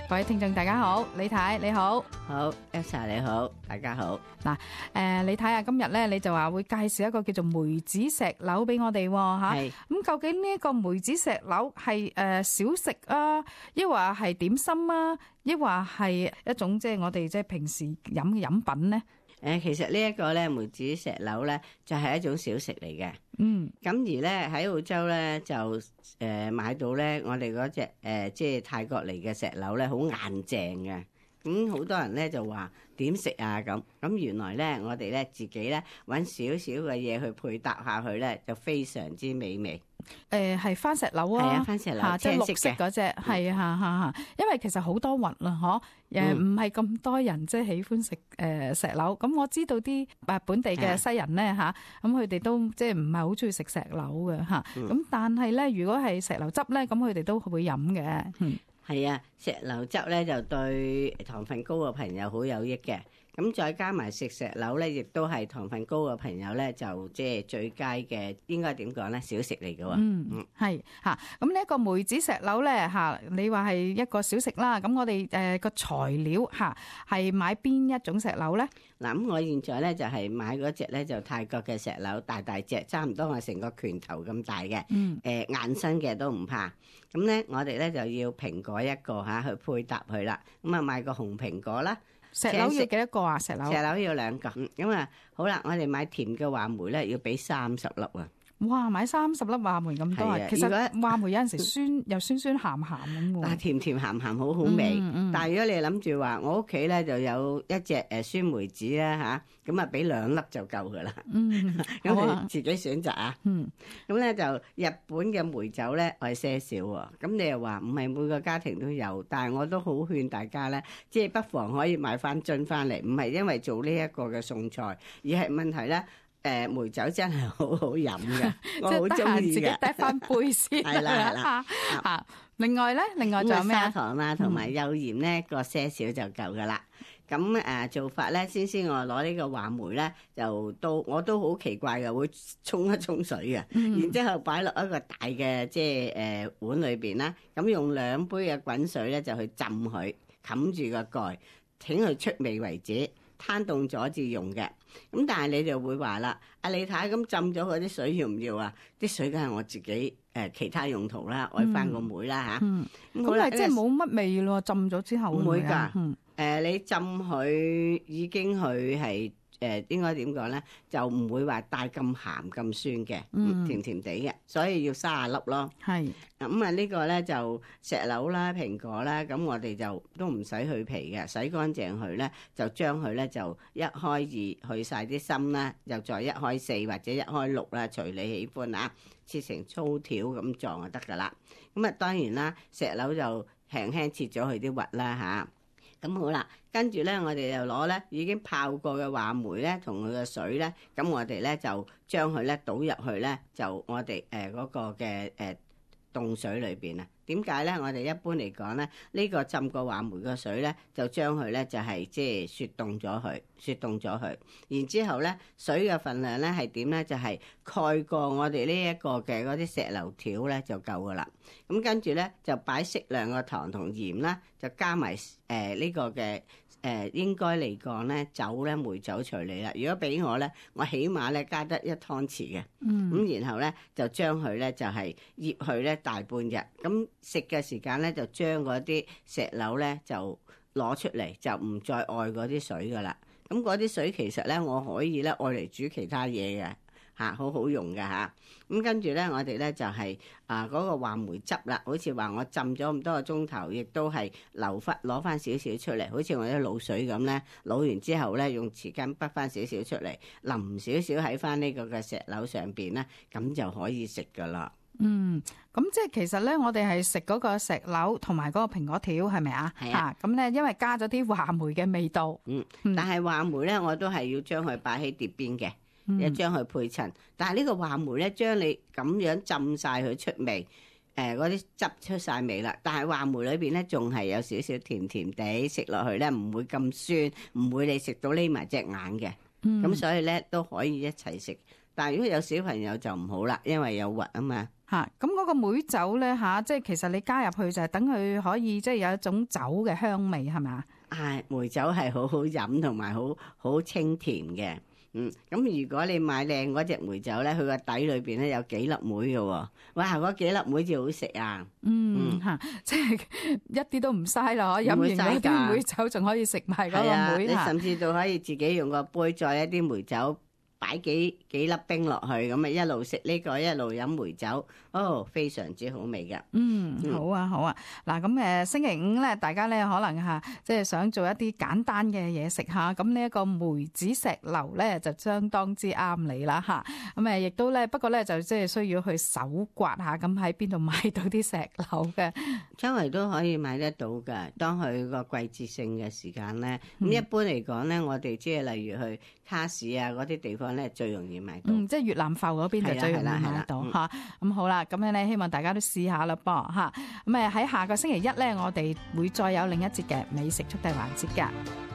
各位聽眾大家好，李太你好。好 Elsa 你好，大家好。嗱，李太啊，今日咧你就話會介紹一個叫做梅子石榴俾我哋吓。係咁究竟呢一個梅子石榴係小食啊，抑或係點心啊，抑或係一種即係我哋即係平時飲嘅飲品咧？其實呢一個咧梅子石榴咧就係一種小食嚟嘅。咁而咧喺澳洲咧就買到咧我哋嗰隻即係泰國嚟嘅石榴咧好硬淨嘅。咁好多人咧就話點食啊咁原來咧我哋咧自己咧揾少少嘅嘢去配搭下去咧就非常之美味。係番石榴啊，係啊，番石榴即係綠色嗰隻，係啊，因為其實好多雲啦，唔係咁多人即係喜歡食石榴。咁我知道啲本地嘅西人咧咁佢哋都即係唔係好中意食石榴嘅咁但係咧如果係石榴汁咧，咁佢哋都會飲嘅。係啊，石榴汁咧就對糖分高嘅朋友好有益嘅。咁再加埋食石榴咧，亦都係糖分高嘅朋友咧，就即係最佳嘅，應該點講咧？小食嚟嘅喎。係咁呢一個梅子石榴咧你話係一個小食啦。咁我哋個材料係買邊一種石榴咧？嗱，咁我現在咧就係買嗰隻咧就泰國嘅石榴，大隻，差唔多我成個拳頭咁大嘅。硬身嘅都唔怕。咁咧我哋咧就要蘋果一個去配搭佢啦。咁啊買個紅蘋果啦。石榴要幾多個啊？石榴要2個。咁啊好啦，我哋買甜嘅話梅咧要俾30粒啊。哇！買30粒話梅咁多啊！其實話梅有陣時酸又酸鹹鹹咁喎。但係甜鹹鹹好味。但係如果你諗住話，我屋企咧就有一隻酸梅子啦咁啊俾2粒就夠噶啦。咁你自己選擇啊。咁咧就日本嘅梅酒咧我係些少喎。咁你又話唔係每個家庭都有，但係我都好勸大家咧，即係不妨可以買翻樽翻嚟，唔係因為做呢一個嘅餸菜，而係問題咧。梅酒真係好好飲嘅，我好中意嘅。自己帶翻杯先。係啦。另外仲有咩砂糖啦，同埋幼鹽咧，個些少就夠噶啦。咁做法咧，先我攞呢個話梅咧，我都好奇怪嘅，會沖一沖水嘅，然之後擺落一個大嘅即係碗裏邊啦。咁用2杯嘅滾水咧，就去浸佢，冚住個蓋，請佢出味為止。攤凍咗至用嘅，咁但係你就會話啦，阿李太咁浸咗嗰啲水要唔要啊？啲水梗係我自己其他用途啦，愛翻個梅啦吓。咁係即係冇乜味咯，浸咗之後唔會噶。你浸佢已經佢係應該點講咧？就唔會話帶咁鹹咁酸嘅，甜甜地嘅，所以要30粒咯。係咁呢個咧就石榴啦、蘋果啦，咁我哋就都唔使去皮嘅，洗乾淨佢咧，就將佢咧就1開2去晒啲心啦，又再1開4或者1開6啦，隨你喜歡啊，切成粗條咁狀就得噶啦。咁當然啦，石榴就輕輕切咗佢啲核啦吓。咁好啦，跟住咧，我哋就攞咧已經泡過嘅話梅咧，同佢嘅水咧，咁我哋咧就將佢咧倒入去咧，就我哋嗰個嘅凍水裏邊啊。點解咧？我哋一般嚟講咧，呢個浸過話梅嘅水咧，就將佢咧就係即係雪凍咗佢，然之後咧水嘅份量咧係點咧？就係蓋過我哋呢一個嘅嗰啲石榴條咧就夠噶啦。咁跟住咧就擺適量嘅糖同鹽啦，就加埋呢個嘅應該嚟講咧酒咧梅酒隨你啦。如果俾我咧，我起碼咧加得1湯匙嘅。咁然後咧就將佢咧就係醃佢咧大半日。咁食嘅時間咧就將嗰啲石榴咧就攞出嚟，就唔再愛嗰啲水噶啦。咁嗰啲水其實咧我可以咧愛嚟煮其他嘢嘅。好好用嘅吓。咁跟住咧我哋咧就係嗰個話梅汁啦，好似話我浸咗咁多個鐘頭，亦都係攞翻少少出嚟，好似我啲滷水咁咧，滷完之後咧用匙羹滗翻少少出嚟，淋少少喺翻呢個嘅石榴上邊咧，咁就可以食噶啦。咁即係其實咧，我哋係食嗰個石榴同埋嗰個蘋果條，係咪啊？係啊。咁咧，因為加咗啲話梅嘅味道。但係話梅咧，我都係要將佢擺喺碟邊嘅。一將佢配襯，但係呢個話梅咧，將你咁樣浸晒佢出味，嗰啲汁出晒味啦。但係話梅裏邊咧，仲係有少少甜甜地，食落去咧唔會咁酸，唔會你食到匿埋隻眼嘅。咁所以咧都可以一齊食，但係如果有小朋友就唔好啦，因為有核啊嘛。嚇，咁嗰個梅酒咧嚇，即係其實你加入去就係等佢可以即係有一種酒嘅香味係咪啊？係梅酒係好好飲同埋好清甜嘅。咁如果你買靚嗰隻梅酒咧，佢個底裏邊咧有幾粒梅嘅喎，哇！嗰幾粒梅至好食啊！嚇，即係一啲都唔嘥啦，飲完嗰啲梅酒仲可以食埋嗰個梅，你甚至到可以自己用個杯再一啲梅酒。擺幾粒冰落去，咁啊一路食呢個一路飲梅酒，非常之好味噶。好啊好啊。嗱咁星期五咧，大家咧可能即係想做一啲簡單嘅嘢食下，咁呢一個梅子石榴咧就相當之啱你啦嚇。咁亦都咧，不過咧就即係需要去手刮下，咁喺邊度買到啲石榴嘅？周圍都可以買得到㗎。當佢個季節性嘅時間咧，咁一般嚟講咧，我哋即係例如去卡市啊嗰啲地方咧，最容易買到。即係越南埠嗰邊就最容易買到嚇。咁好啦，咁樣咧，希望大家都試下啦噃嚇。咁喺下個星期一咧，我哋會再有另一節嘅美食速遞環節㗎。